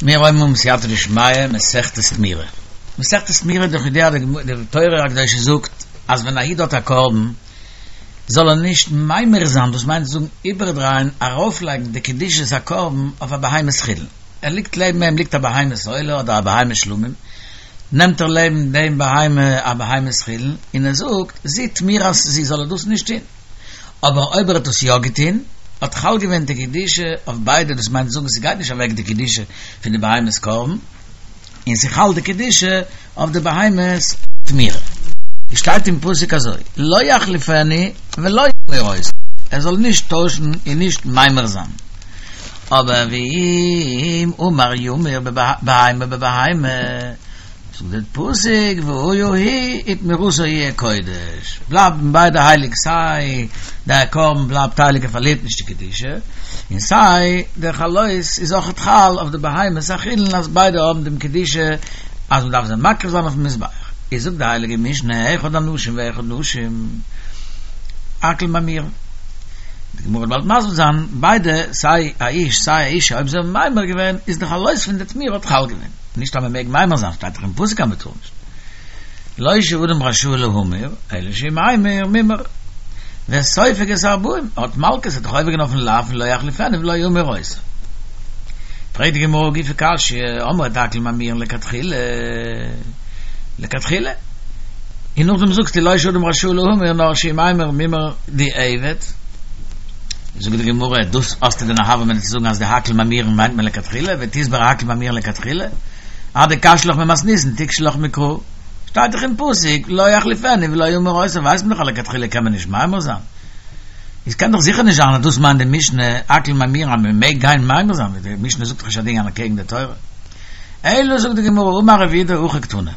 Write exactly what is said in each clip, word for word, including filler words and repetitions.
מיר הייבן אן בסייעתא דשמיא, מסכת תמורה. מסכת תמורה דאך ידוע די תורה הקדושה זאגט אז ווען א איד האט א קרבן זאל ער נישט ממיר זיין, דאס מיינט צו זאגן איבערדרייען, ארויפלייגן די קדושת הקרבן אויף א בהמת חולין. ער ליגט לעבן אים ליגט א בהמת עולה אדער א בהמת שלמים, נעמט ער לעבן דעם בהמה א בהמת חולין און ער זאגט זו תמורת זו זאל ער דאס נישט טון. אבער אויב ער האט עס יא געטון, האט חל געווען די קדושה אויף ביידע, דאס מיינט זאגן ס'גייט נישט אוועק די קדושה פון די בהמת קרבן, און ס'חל די קדושה אויף די בהמת תמורה. עס שטייט אין פסוק אזוי, לא יחליפנו ולא ימיר אותו, ער זאל נישט טוישן און נישט ממיר זיין. אבער ואם אמר ימיר בהמה בבהמה, זאגט דער פסוק והיה הוא ותמורתו יהיה קודש, בלייבן ביידע הייליג סיי דער קרבן בלייבט הייליג ער פארלירט נישט די קדושה, און סיי דער חלות איז אויכעט חל אויף די בהמת החולין אז ביידע האבן דעם קדושה אז מען דארף זיי מקריב זיין אויפן מזבח, איז זאגט די הייליגע משנה אחד אנשים ואחד נשים הכל ממירין. די גמרא וועט באלד מסביר זיין, ביידע סיי א איש סיי א אישה אויב זיי האבן ממיר געווען איז די חלות פון די תמורה האט חל געווען. נישט אז מען מעג ממיר זיין, שטייט דאך אין פסוק אז מען טאר נישט. לא שאדם רשאי להמיר, אלא שאם המיר מומר. וסופג את הארבעים, האט מלקות, האט דאך עובר געווען אויפן לאו פון לא יחליפנו ולא ימיר אותו. פרעגט די גמרא הא גופא קשיא, אמרת הכל ממירין לכתחילה, לכתחילה. און נאכדעם זאגסטו לא שאדם רשאי להמיר נאר שאם המיר מומר דיעבד. זאגט די גמרא, דאס האסטו דען א הוה אמינא צו זאגן אז די הכל ממירין מיינט מען לכתחילה, ותסברא הכל ממירין לכתחילה, אדקשיא לך ממתניתין תיקשי לך מקרא, שטייט דאך אין פסוק לא יחליפנו ולא ימיר אותו ווייסט מען דאך אז לכתחילה קען מען נישט ממיר זיין, איז קען דאך זיכער נישט זיין אז דאס מיינט די משנה הכל ממירין אז מען מעג גיין ממיר זיין, די משנה זאגט דאך נישט א דין אנטקעגן די תורה. אלא זאגט די גמרא אמר רב יהודה הכי קתני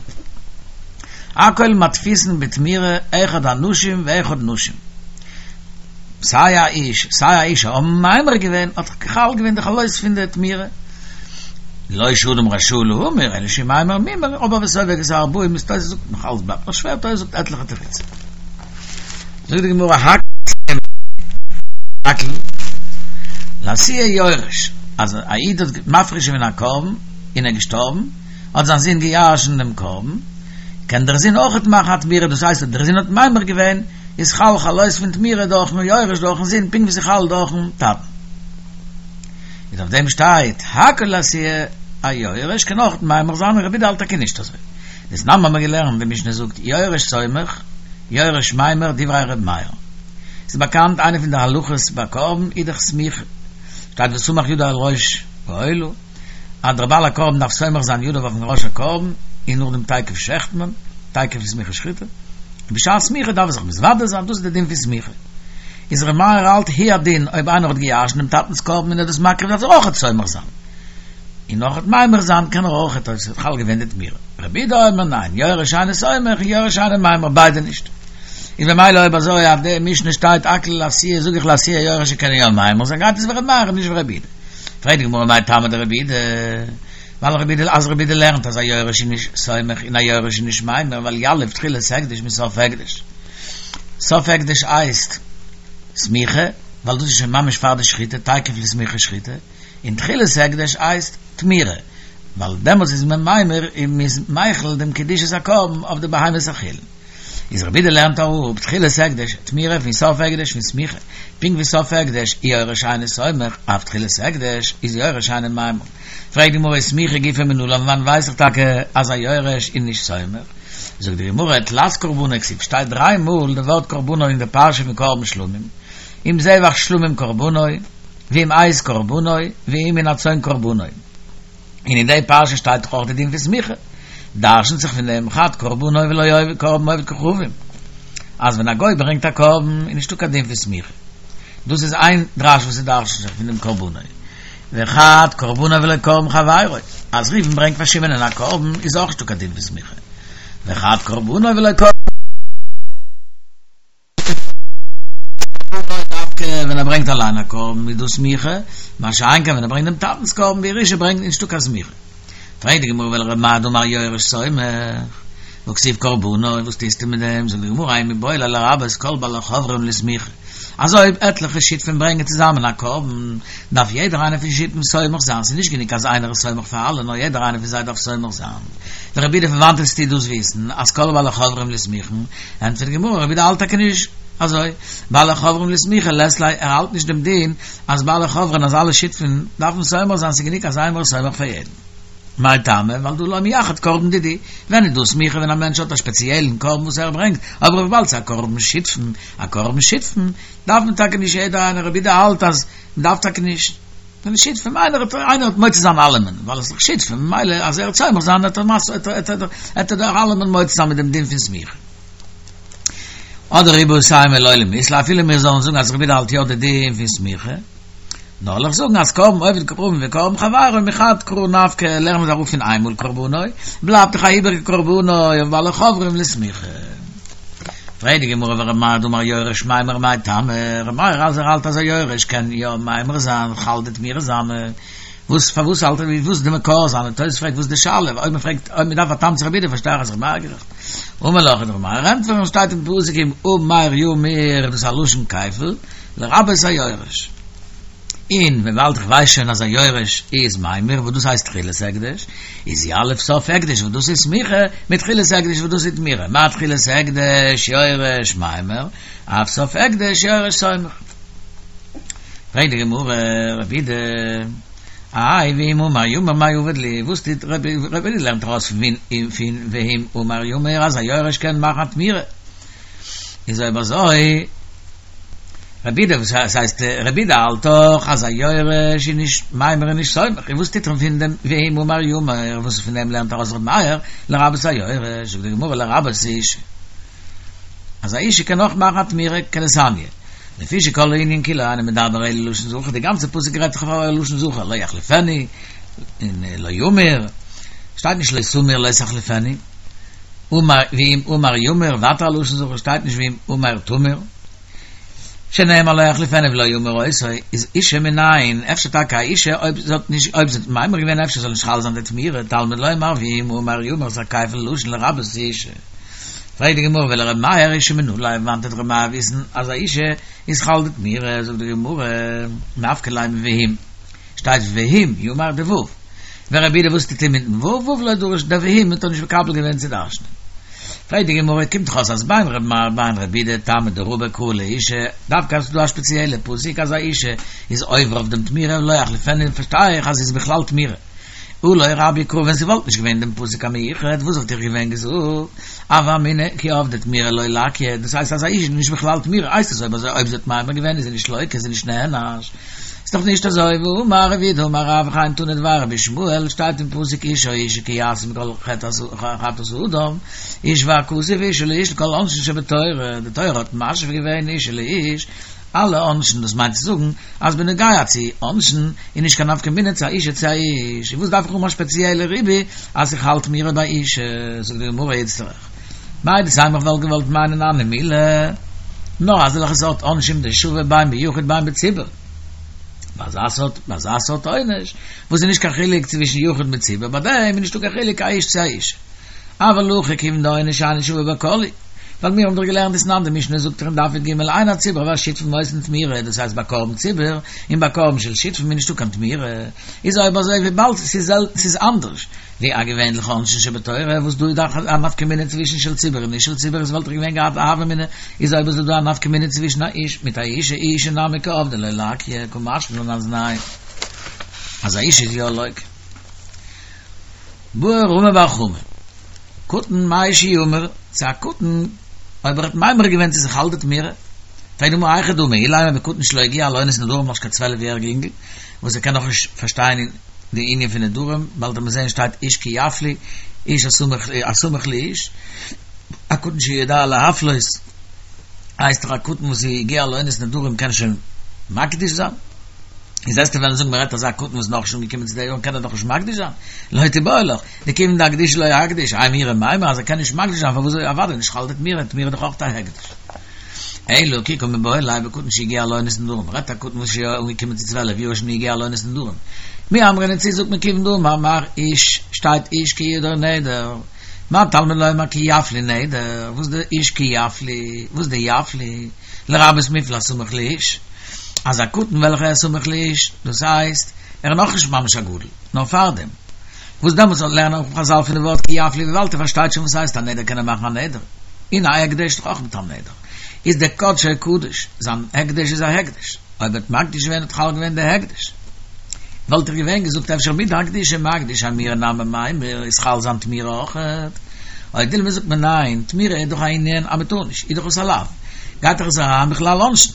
הכל מתפיסין בתמורה אחד אנשים ואחד נשים. סיי א איש סיי א אישה האבן ממיר געווען האט חל געווען די חלות פון די תמורה. לא שאדם רשאי להמיר אלא שאם המיר מומר אבער וסופג את הארבעים איז תוס' זאגט נאך אלס בלייבט נאך שווער תוס' זאגט עטליכע תירוצים. זאגט די גמרא הכל לאתויי יורש אז א איד האט מפריש געווען א קרבן און ער איז געשטארבן האט זיין זון געירשנט דעם קרבן קען דער זון אויכעט מאכן א תמורה דאס הייסט אז דער זון האט ממיר געווען איז חל חלות פון תמורה דורכן יורש דורכן זון פונקט ווי ס'איז חל דורכן טאטן. איז אויף דעם שטייט הכל לאתויי א יורש קען אויך ממיר זיין און רבי יהודה האלט טאקע נישט אזוי. דתנן האבן מיר געלערנט די משנה זאגט יורש סומך יורש ממיר דברי ר' מאיר. ס'איז באקאנט איינע פון די הלכות ביי קרבן איז דאך סמיכה שטייט וסמך ידו על ראש העולה. אז דער בעל הקרבן דארף סומך זיין ידיו אויפן ראש הקרבן, און נאכדעם תיכף שעכט מען, תיכף לסמיכה שחיטה, און בשעת סמיכה דארף ער זיך מתוודה זיין, דאס איז די דין פון סמיכה. איז ר' מאיר האלט הוא הדין אויב איינער האט געירשנט דעם טאטנ'ס קרבן און ער איז דאס מקריב דארף ער אויכעט סומך זיין, און אויכעט ממיר זיין קען ער אויכעט אויב ס'האט חל געווען די תמורה. רבי יהודה אומר ניין, יורש אינו סומך און יורש אינו ממיר ביידע נישט. איז במילא אויב אזוי אז די משנה שטייט הכל לאתויי זאג איך לאתויי יורש קען יא ממיר זיין גייט עס ווי ר' מאיר און נישט ווי רבי יהודה. פרעגט די גמרא מאי טעמא דרבי יהודה, ווייל רבי יהודה אז רבי יהודה לערנט אז א יורש איז נישט סומך און א יורש איז נישט ממיר ווייל יליף תחילת הקדש מסוף הקדש, סוף הקדש הייסט סמיכה ווייל דאס איז שוין ממש פאר די שחיטה תיכף לסמיכה שחיטה, און תחילת הקדש הייסט תמורה ווייל דעמאלטס איז מען ממיר און מען איז מחיל דעם קדושת הקרבן אויף די בהמת החולין. איז רבי יהודה לערנט אראפ תחילת הקדש תמורה פון סוף הקדש פון סמיכה, פונקט ווי סוף הקדש יורש אינו סומך אף תחילת הקדש איז יורש אינו ממיר. פרעגט די גמרא סמיכה גופא מנלן וואנען ווייס איך טאקע אז א יורש איז נישט סומך? זאגט די גמרא תלת קרבנו כתיב שטייט דריי מאל די ווארט קרבנו אין די פרשה פון קרבן שלמים, אם זבח שלמים קרבנו, ואם עז קרבנו, ואם מן הצאן קרבנו. און אין די פרשה שטייט דאך אויך די דין פון סמיכה, דרשנ'ט זיך פון דעם חד קרבנו ולא קרבן עובד כוכבים, אז ווען א גוי ברענגט א קרבן איז נישטא קיין דין פון סמיכה, דאס איז איין דרש וואס ס'דרשנ'ט זיך פון דעם קרבנו, וחד קרבנו ולא קרבן חברו, אז ראובן ברענגט פאר שמעונ'ען א קרבן איז אויך נישטא קיין דין פון סמיכה, וחד קרבנו ולא קרבן. דווקא ווען ער ברענגט אליין א קרבן איז דא סמיכה, מה שאין כן ווען ער ברענגט דעם טאטנ'ס קרבן בירושה ברענגט נישטא קיין סמיכה. פרעגט די גמרא ולר' מאיר דאמר יורש סומך, והכתיב קרבנו, וואס טוסטו מיט דעם? זאגט די גמרא ההוא מיבעי ליה לרבות כל בעלי חוברים לסמיכה, אז אויב עטליכע שותפים ברענגען צוזאמען א קרבן, דארף יעדער איינער פון שותפים סומך זיין, ס'איז נישט גענוג אז איינער איז סומך פאר אלע, נאר יעדער איינער פון זיי דארף סומך זיין. ורבי יהודה פון וואנעט וועסטו דאס וויסן אז כל בעלי חוברים לסמיכה? ענטפערט די גמרא, רבי יהודה האלט טאקע נישט אזוי, בעלי חוברים לסמיכה לית ליה, ער האלט נישט דעם דין אז בעלי חוברים אז אלע שותפים דארפן סומך זיין, ס'איז גענוג אז איינער איז סומך פאר יעדן. מאי טעמא, ווייל דהא לא מייחד קרבן דידהו, ווען איז דא סמיכה ווען א מענטש האט א שפעציעלן קרבן וואס ער ברענגט, אבער וויבאלד ס'איז א קרבן שותפים, א קרבן שותפים, דארף מען טאקע נישט יעדער איינער, רבי יהודה האלט אז מ'דארף טאקע נישט, ווען שותפים, איינער האט איינער האט מוציא זיין אלעמען, ווייל עס איז דאך שותפים, ממילא אז ער וועט סומך זיין וועט ער וועט ער דאך אלעמען מוציא זיין מיט דעם דין פון סמיכה. אדער איבעית אימא לא לית ליה, אפילו מיר זאלן זאגן אז רבי יהודה האלט יא די דין פון סמיכה, נאר וועל איך זאגן אז קרבן עובד כוכבים וקרבן חברו מחד קרא נפקא לערנען מיר אראפ פון איינמאל קרבנו, בלייבט דאך א איבעריגע קרבנו אויף בעלי חוברים לסמיכה. פרעגט די גמרא ור' מאיר דאמר יורש מימר מאי טעמא, ר' מאיר אז ער האלט אז א יורש קען יא מימר זיין חל די תמורה זיינע, וואס פארוואס האלט ער וואס איז די מקור זיינע, תוס' פרעגט וואס איז די שאלה, אויב מען פרעגט אויב מען דארף א טעם צו רבי יהודה פארשטיי איך אז ר' מאיר גערעכט. אמר לך וועט ר' מאיר ענטפערן שטייט אין פסוק אם המר ימיר דאס איז א לשון כפל לרבות היורש. און וויבאלד איך ווייס שוין אז א יורש איז ממיר וואס דאס הייסט תחילת הקדש, איז יליף סוף הקדש וואס דאס איז סמיכה, מתחילת הקדש וואס דאס איז תמורה, מה תחילת הקדש יורש ממיר, אף סוף הקדש יורש סומך. פרעגט די גמרא, רבי יהודה, איי ואם המר ימיר מאי עביד ליה, וואס טוט רבי יהודה לערנט ארויס פון ואם המר ימיר אז א יורש קען מאכן א תמורה, איז אויב אזוי רבי יהודה וואס הייסט רבי יהודה האלט דאך אז א יורש איז נישט ממיר און נישט סומך און וואס טוט מען פון דעם ואם המר ימיר וואס פון דעם לערנט ארויס רבי מאיר לרבות היורש זאגט די גמרא לרבות אשה אז א אשה קען אויך מאכן א תמורה כדתניא לפי שכל הענין כולו אינו מדבר אלא לשון זכר די גאנצע פסוק רעדט זיך אויף לשון זכר לא יחליפנו און לא ימיר שטייט נישט לא תמיר לא תחליפנו המר ואם המר ימיר ווייטער א לשון זכר שטייט נישט ואם המר תמיר שנאמר לא יחליפנו ולא ימיר אותו איז אשה מנין אפשר טאקע א אשה אויב זי האט נישט אויב זי האט ממיר געווען אפשר זאל נישט חל זיין די תמורה תלמוד לומר ואם המר ימיר איז א כפל לשון לרבות אשה פרעגט די גמרא ולר' מאיר אשה מנא ליה וואנעט וועט ר' מאיר וויסן אז א אשה איז חל די תמורה זאגט די גמרא נפקא ליה מואם שטייט ואם ימר די ו' ורבי יהודה וואס טוט ער מיטן ו' ו' לא דרש די ואם האט ער נישט מקבל געווען צו דרש'נען. פרעגט די גמרא, קומט דאך אויס אז בין ר' מאיר בין רבי יהודה טעמא דרבא קרא לאשה, דווקא אז ס'איז דא א שפעציעלע פסוק אז א אשה איז עובר אויף דעם תמורה לא יחליפנו פארשטיי איך אז ס'איז בכלל תמורה. הא לא רביה קרא ווען ס'וואלט נישט געווען דעם פסוק המיוחד וואס וואלט איך געווען געזאגט הוה אמינא כי עבדה תמורה לא לקיא דאס הייסט אז א אשה איז נישט בכלל תמורה הייסט עס אויב אזוי אויב זי האט ממיר געווען איז זי נישט לוקה איז זי נישט נענש איז דאך נישט אזוי, והאמר רב יהודה אמר רב וכן תנא דבי רבי ישמעאל, שטייט אין פסוק איש או אשה כי יעשו מכל חטאת האדם, השווה הכתוב אשה לאיש לכל עונשין שבתורה, די תורה האט משווה געווען אשה לאיש, אלע עונשין, דאס מיינט צו זאגן אז בנוגע צו עונשין איז נישט קיין נפקא מינה צו א אשה צו א איש, און וואס דארף איך האבן א שפעציעלע ריבוי אז ס'איז חל תמורה ביי אשה, זאגט די גמרא איצטריך מהו דתימא איך וואלט געוואלט מיינען הני מילי נאר אזעלכע סארט עונשים דשוה בין ביחיד בין בציבור. ביי אזא סארט ביי אזא סארט עונש וואס איז נישט קיין חילוק צווישן יחיד מיט ציבור ביי דעם איז נישטא קיין חילוק א איש צו א אשה. אבל הכא כיוון דעונש אינו שוה בכל הוא. ווייל מיר האבן דאך געלערנט דתנן די משנה זאגט דאך אין דף י"ג אין הציבור והשותפים עושין תמורה דאס הייסט ביי קרבן ציבור און ביי קרבן של שותפים איז נישטא קיין תמורה איז אויב אזוי וויבאלד ס'איז אנדערש ווי א געווענליכע עונשין שבתורה, וואס דא איז דאך א נפקא מינה צווישן של ציבור און נישט של ציבור, איז וואלט איך געווען געהאט א הוה אמינא, איז אויב איז דא א נפקא מינה צווישן א איש מיט א אשה, אשה נמי קא עבדה לא לקיא, קא משמע לן אז ניין, אז א אשה איז יא לוקה. בעי רמי בר חמא, קטן מהו שימיר, צו א קטן, אויב ער האט ממיר געווען צו ס'איז חל די תמורה, פרעגט די גמרא היכי דמי, אילימא בקטן שלא הגיע לעונת נדרים נאך נישט קיין צוועלף יעריגע אינגל, וואס ער קען נאך נישט פארשטיין אין די ענין פון נדרים, באלד וועט מען זען שטייט איש כי יפליא, איש הסמוך לאיש, א קטן שיודע להפלות, הייסט דאך א קטן וואס איז הגיע לעונת נדרים קען שוין מקדיש זיין, איז וועסטו וועלן זאגן מען רעדט אזא קטן וואס איז נאכנישט אנגעקומען צו די יארן קען ער דאך נישט מקדיש זיין, לא תיבעי לך, דכיון דאקדושי לא אקדיש, איי מירא מימר אז ער קען נישט מקדיש זיין פארוואס איז אוודאי נישט חל די תמורה, תמורה איז דאך אויך א הקדש. אלא כי קא מיבעיא ליה בקטן שהגיע לעונת נדרים, רעדט א קטן וואס איז שוין אנגעקומען צו צוועלף יאר שוין הגיע לעונת נדרים, מי אמרינן צו זאגט מען כיוון דאמר מר איש שטייט איש כי ידור נדר, מה תלמוד לומר כי יפליא נדר, וואס די איש כי יפליא, וואס די יפליא, לרבות מופלל הסמוך לאיש, אז א קטן וועלכער איז סמוך לאיש, דאס הייסט, ער איז נאכנישט ממש א גדול, נאר פארדעם. וואס דעמאלטס לערנען אויך חזל פון די ווארט כי יפליא וויבאלד ער פארשטייט שוין וואס הייסט א נדר קען ער מאכן א נדר. און א הקדש דאך אויך מיט א נדר. איז דער קדשו קדוש, זיין הקדש איז א הקדש. אויב האט מקדיש געווען האט חל געווען דער הקדש. וואלט איך געווען געזאגט אפשר מדהקדושה מקדיש אמירה נמי מימר איז חל זיין תמירה אויכעט. או דילמא זאגט מען ניין, תמירה איז דאך א ענין אז מ'טאר נישט, איז דאך עס א לאו. גייט דאך עס אריין בכלל עונשין.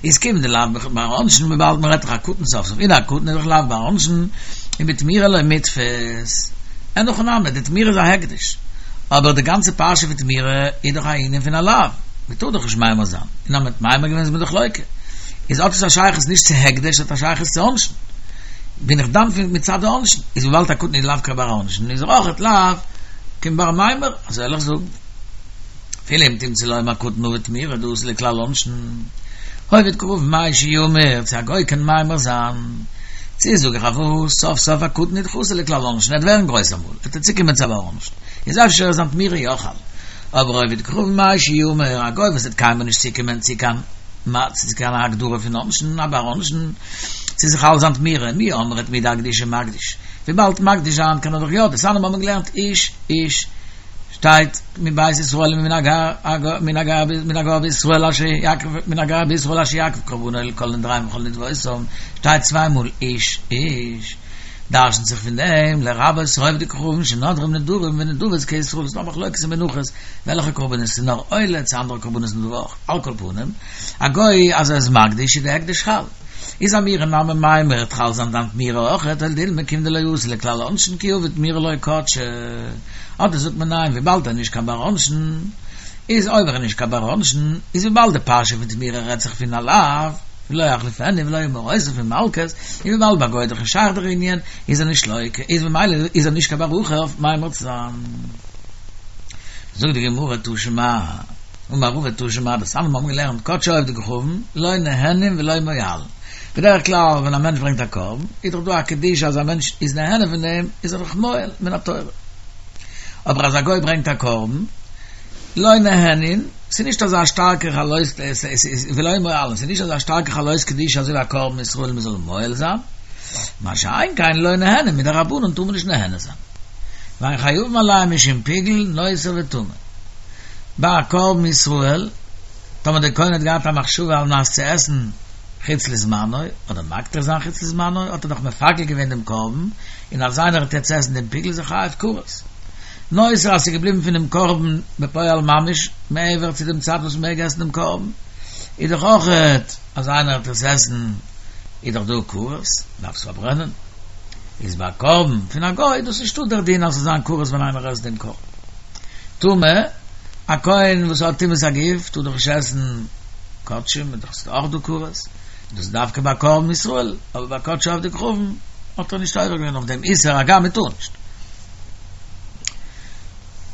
איז כיון דלאו בר עונשין וויבאלד מ'רעדט דאך א קטן סוף סוף און א קטן איז דאך לאו בר עונשין און בתמירה לא מיתפס. אין הכי נמי, די תמירה איז א הקדש. אבער די גאנצע פרשה פון תמירה איז דאך א ענין פון א לאו. מ'טאר דאך נישט ממיר זיין. און אז מ'האט ממיר געווען איז מען דאך לוקה. איז האט עס א שייכות נישט צו הקדש, האט א שייכות צו עונשין. בין איך דן פון מצד העונשין. איז וויבאלד א קטן איז לאו קיין בר עונשין, איז ער אויכעט לאו קיין בר מימר. אזוי וועל איך זאגן. אפילו אם תמצא לומר קטן עביד תמירה דאתי לכלל עונשין. העובד כוכבים מהו שימיר, צו א גוי קען ממיר זיין. צו זאג איך אויף וואס, סוף סוף א קטן איז דאך אתי לכלל עונשין, ער וועט ווערן גרויס אמאל, וועט ער צוקומען צו א בר עונשין. איז אפשר איז זיין תמירה יא חל. אבער עובד כוכבים מהו שימיר, א גוי וואס וועט קיינמאל נישט צוקומען צו קיין צו קיין הגדרה פון עונשין, א בר עונשין, צו ס'איז חל זיין תמירה, מי אמרת מדהקדושה מקדיש. וויבאלד מקדיש זיין קען ער דאך יא, דתניא מיר האבן געלערנט איש איש שטייט מבית ישראל ומן הגר מן הגר מן הגר בישראל אשר יקריב מן הגר בישראל אשר יקריב קרבנו כל נדריהם וכל נדבותם שטייט צוויי מאל איש איש דרשנט זיך פון דעם לרבות עובדי כוכבים שנדרים נדרים ונדבות כישראל ס'איז דא מחלוקת אין מנחות וועלכע קרבנות איז נאר עולה צו אנדערע קרבנות איז דא אויך על כל פנים א גוי אז ער איז מקדיש איז די הקדש חל איז אמירה נמי מימר וועט חל זיין זיין תמירה אויכעט או דילמא כיון דלא אתי לכלל עונשין כי עביד תמירה לא קדשה אדער זאגט מען ניין וויבאלד ער איז נישט קיין בר עונשין איז אויב ער איז נישט קיין בר עונשין איז וויבאלד די פרשה פון תמירה רעדט זיך פון א לאו ולא יחליפנו ולא ימיר אותו פון מלקות און וויבאלד ביי גוי איז דאך נישט שייך דער ענין איז ער נישט לוקה איז ממילא איז ער נישט קיין בר הכי אויף ממיר צו זיין. זאגט די גמרא תא שמע אמר רבא תא שמע דתניא מיר האבן געלערנט קדשי עובדי כוכבים לא נהנין ולא מועלין בדרך כלל ווען א מענטש ברענגט א קרבן איז דאך דא א קדושה אז א מענטש איז נהנה פון דעם איז ער דאך מועל מן התורה אבער אז א גוי ברענגט א קרבן לא נהנין ס'איז נישט אזא שטארקע חלות ולא מועלין ס'איז נישט אזא שטארקע חלות קדושה אזוי ווי א קרבן ישראל מ'זאל מועל זיין מה שאין כן לא נהנין מדרבנן טאר מען נישט נהנה זיין ואין חייבין עליהם משום פיגול נותר וטמא ביי א קרבן ישראל טאמער דער כהן האט געהאט א מחשבה על מנת צו עסן חוץ לזמנו, אדער מקטיר זיין חוץ לזמנו, האט ער דאך מפגל געווען דעם קרבן, און אז איינער וועט יעצט עסן דעם פיגול איז ער חייב כרת. נותר אז ס'איז געבליבן פונעם קרבן בפועל ממש מעבר צו דעם צייט וואס מ'מעג עסן דעם קרבן, איז דאך אויכעט אז איינער וועט עס עסן איז דאך דא כרת, מ'דארף עס פארברענען. איז ביי א קרבן פון א גוי דאס נישטא דער דין אז ס'זאל זיין כרת ווען איינער עסט דעם קרבן. טמא, א כהן וואס האט טומאת הגוף טאר דאך נישט עסן קדשים, איז דאך אויך דא כרת, דאס איז דווקא ביי קרבן ישראל, אבער ביי קדשי עובדי כוכבים האט ער נישט עובר געווען אויף דעם איסור, הגם מען טאר נישט.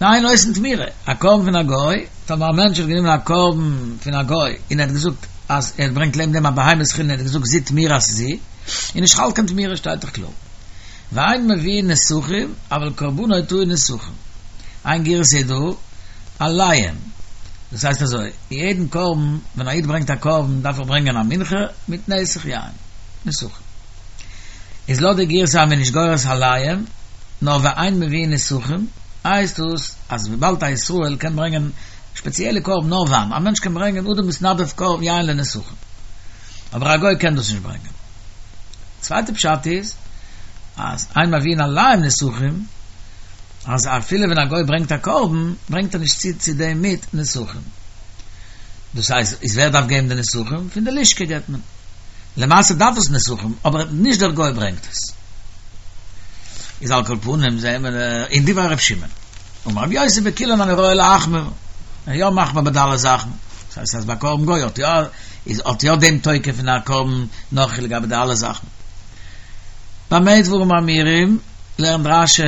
ואין עושין תמירה, א קרבן פון א גוי, טאמער א מענטש האט גענומען א קרבן פון א גוי און ער האט געזאגט אז ער ברענגט לעבן דעם א בהמת חולין און ער האט געזאגט זו תמורת זו, איז נישט חל קיין תמירה שטייט דאך קלאר. ואין מביאין נסכים, אבל קרבנו טעון נסכים. איין גירסא איז דא, עליהם. דאס הייסט אזוי, יעדן קרבן, ווען א איד ברענגט א קרבן דארף ער ברענגען א מנחה מיט נסך יין, נסכים. איז לויט די גירסא אז מען איז נישט גורס עליהם, נאר ואין מביאין נסכים, הייסט דאס אז וויבאלד א ישראל קען ברענגען שפעציעלע קרבן נאר וויין, א מענטש קען ברענגען אדם מתנדב קרבן יין לנסכים, אבער א גוי קען דאס נישט ברענגען. צווייטע פשט איז אז אין מביאין עליהם נסכים, אז אפילו ווען א גוי ברענגט א קרבן, ברענגט ער נישט צו צו דעם מיט נסכים. דאס הייסט, איז ווער דארף געבן די נסכים? פון די לשכה געבט מען. למעשה דארף עס נסכים, אבער נישט דער גוי ברענגט עס. איז על כל פנים זעהן מיר אין דברי ר' שמעון. אמר רבי יוסי בכולן אני רואה להחמיר, ער איז יא מחמיר ביי די אלע זאכן. דאס הייסט אז ביי קרבן גוי האט יא איז האט יא דעם תוקף פון א קרבן נכרי לגבי די אלע זאכן. במה דברים אמורים, לערנט רש"י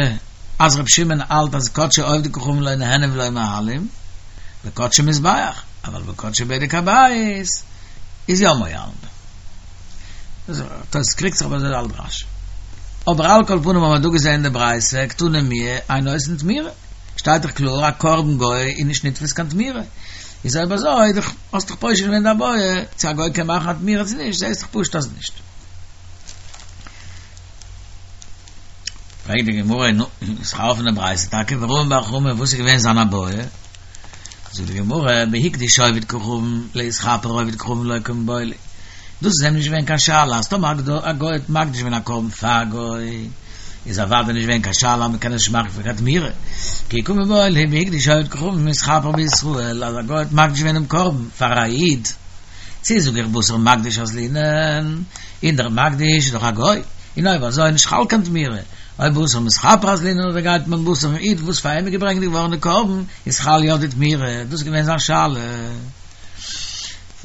אז ר' שמעון האלט אז קדשי עובדי כוכבים לא נהנין ולא מועלין, בקדשי מזבח, אבל בקדשי בדק הבית איז יא מועלין. תוס' קריגט זיך אבער אזוי האלט רש"י. אבער על כל פנים האבן מיר דא געזען די ברייתא קתני מיהא אין עושין תמירה, שטייט דאך קלאר א קרבן גוי איז נישט נתפס קיין תמירה, איז אויב אזוי, דאך האסט דאך פושט געווען די בעיא, צו א גוי קען מאכן א תמירה צו נישט, זעהסט דאך פשוט אז נישט. פרעגט די גמרא, נו, איז דאך א אפענע ברייתא טאקע, ורמי בר חמא, וואס איז געווען זיין בעיא? זאגט די גמרא, בהקדיש עובד כוכבים להתכפר עובד כוכבים לא קמיבעיא ליה. דאס איז אים נישט געווען קיין שאלה אז טאמער א גוי האט מקדיש געווען א קרבן פאר א גוי, איז אוודאי נישט געווען קיין שאלה אז מ'קען עס נישט מאכן פאר קיין תמירה. כי קמיבעיא ליה בהקדיש עובד כוכבים להתכפר בישראל, אז א גוי האט מקדיש געווען דעם קרבן פאר א איד, צי זאג איך בתר מקדיש אזלינן, און דער מקדיש איז דאך א גוי, און אויב אזוי איז נישט חל קיין תמירה, או בתר מתכפר אזלינן אדער גייט מען בתר'ן איד וואס פאר אים איז געברענגט געווארן די קרבן, איז חל יא די תמירה, דאס איז געווען זיין שאלה.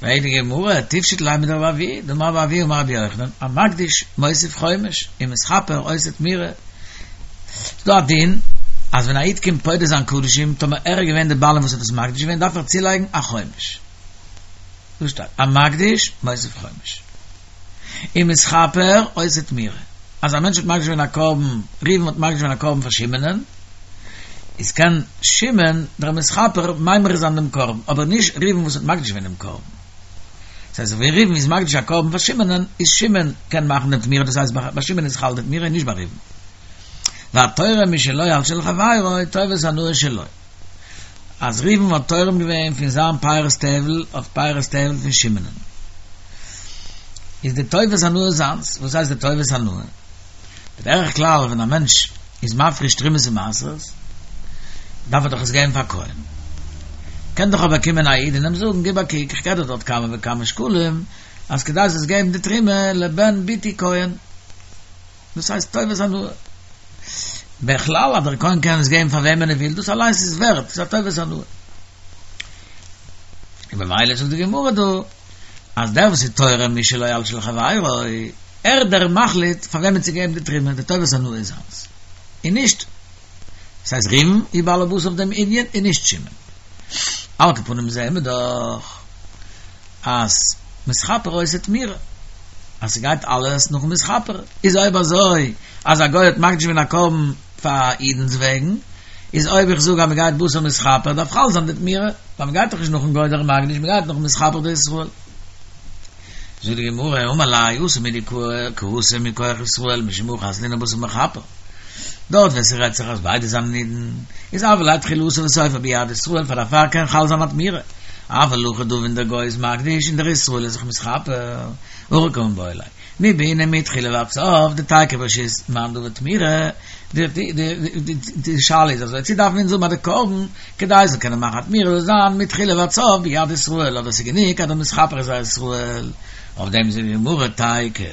פרעגט די גמרא, תפשוט ליה מדרבי אבוה, דאמר רבי אבוה אמר רבי יוחנן, המקדיש מוסיף חומש, ומתכפר עושה תמירה. ס'איז דא א דין אז ווען א איד קומט פודה זיין קדשים, טאמער ער איז געווען די בעלים וואס האט עס מקדיש געווען, דארף ער צולייגן א חומש. דא שטייט, המקדיש מוסיף חומש. ומתכפר עושה תמירה. אז א מענטש האט מקדיש געווען א קרבן, ראובן האט מקדיש געווען א קרבן פאר שמעונ'ען, איז קען שמעון דער מתכפר ממיר זיין דעם קרבן, אבער נישט ראובן וואס האט מקדיש געווען דעם קרבן. דאס הייסט ווען ראובן איז מקדיש א קרבן פאר שמעונ'ען, איז שמעון קען מאכן דעם תמירה, דאס הייסט ביי שמעון איז חל די תמירה און נישט ביי ראובן. והתורם משלו על של חברו טובת הנאה שלו. אז ראובן האט תורם געווען פון זיין פירות טבל אויף פירות טבל פון שמעונ'ען, איז די טובת הנאה זיינס. וואס הייסט די טובת הנאה? בדרך כלל ווען א מענטש איז מפריש תרומות ומעשרות דארף ער דאך עס געבן פאר כהן, קען דאך אבער קומען א איד און אים זאגן גיב א קוק איך געב דיר דארט כמה וכמה שקלים אז כדי זאלסט געבן די תרומה לבן בתי כהן, דאס הייסט טובת הנאה. בכלל אז דער כהן קען עס געבן פאר וועמען ער וויל, דאס אליינס איז ווערט, ס'איז א טובת הנאה. און במילא זאגט די גמרא דא, אז דער וואס איז תורם משלו על של חברו, ער איז דער מחליט פאר וועמען צו געבן די תרומה, די טובת הנאה איז זיינס, און נישט, דאס הייסט ראובן איז בעל הבית אויף דעם ענין און נישט שמעון. על כל פנים זעהן מיר דאך אז מתכפר עושה תמירה, אז ס'גייט אלעס נאכן מתכפר, איז אויב אזוי אז א גוי האט מקדיש געווען א קרבן פאר א אידנ'ס וועגן, איז אויב איך זאג אז מ'גייט בתר מתכפר דארף חל זיין די תמירה, ווייל מ'גייט דאך נישט נאכן גוי דער מקדיש, מ'גייט נאכן מתכפר דישראל. זאגט די גמרא, אמר ליה התם הוא דקאתי מכח ישראל משום הכי אזלינן בתר מכפר. דארט ווען ס'רעדט זיך אז ביידע זענען אידן, איז הוה ליה תחילתו וסופו ביד ישראל פאר דערפאר קען חל זיין א תמירה, אבל הכא דא ווען דער גוי איז מקדיש און דער ישראל איז זיך מתכפר, הכי קמיבעיא ליה, מי בעינן מתחילה ועד סוף דתיקף רשות מאן דעביד תמירה, די שאלה איז אזוי, צו דארפן אונז האבן אז די קרבן כדי זאל קענען מאכן א תמירה זאל זיין מתחילה ועד סוף ביד ישראל אדער ס'איז גענוג אז דער מתכפר איז א ישראל, אויף דעם זאגט די גמרא תיקף.